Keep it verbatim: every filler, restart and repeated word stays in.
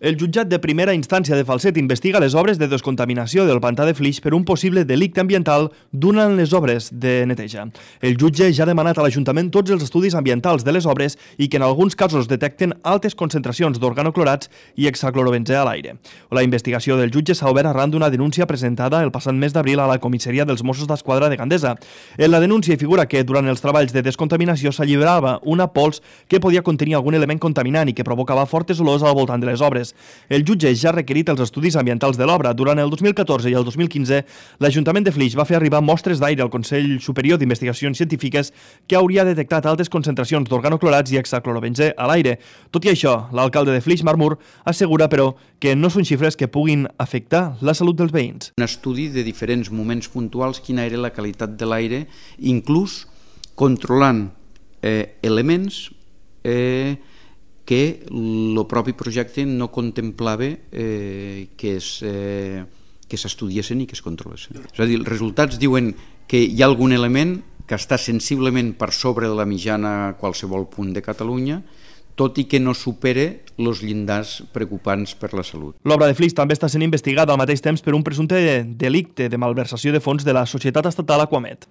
El jutjat de primera instància de Falset investiga les obres de descontaminació del pantà de Flix per un possible delicte ambiental durant les obres de neteja. El jutge ja ha demanat a l'Ajuntament tots els estudis ambientals de les obres i que en alguns casos detecten altes concentracions d'organoclorats i hexaclorobenzè a l'aire. La investigació del jutge s'ha obert arran d'una denúncia presentada el passat mes d'abril a la comissaria dels Mossos d'Esquadra de Gandesa. En la denúncia hi figura que durant els treballs de descontaminació s'alliberava una pols que podia contenir algun element contaminant i que provocava fortes olors al voltant de les obres. El jutge ja ha requerit els estudis ambientals de l'obra. Durant el dos mil catorze i el dos mil quinze, l'Ajuntament de Flix va fer arribar mostres d'aire al Consell Superior d'Investigacions Científiques que hauria detectat altes concentracions d'organoclorats i hexaclorobenzè a l'aire. Tot i això, l'alcalde de Flix, Marc Mur, assegura, però, que no són xifres que puguin afectar la salut dels veïns. Un estudi de diferents moments puntuals, quina era la qualitat de l'aire, inclús controlant eh, elements eh, que el propi projecte no contemplava eh, que es, eh, que s'estudiessin i que es controlessin. És a dir, els resultats diuen que hi ha algun element que està sensiblement per sobre de la mitjana a qualsevol punt de Catalunya, tot i que no supere els llindars preocupants per la salut. L'obra de Flix també està sent investigada al mateix temps per un presumpte delicte de malversació de fons de la societat estatal Aquamet.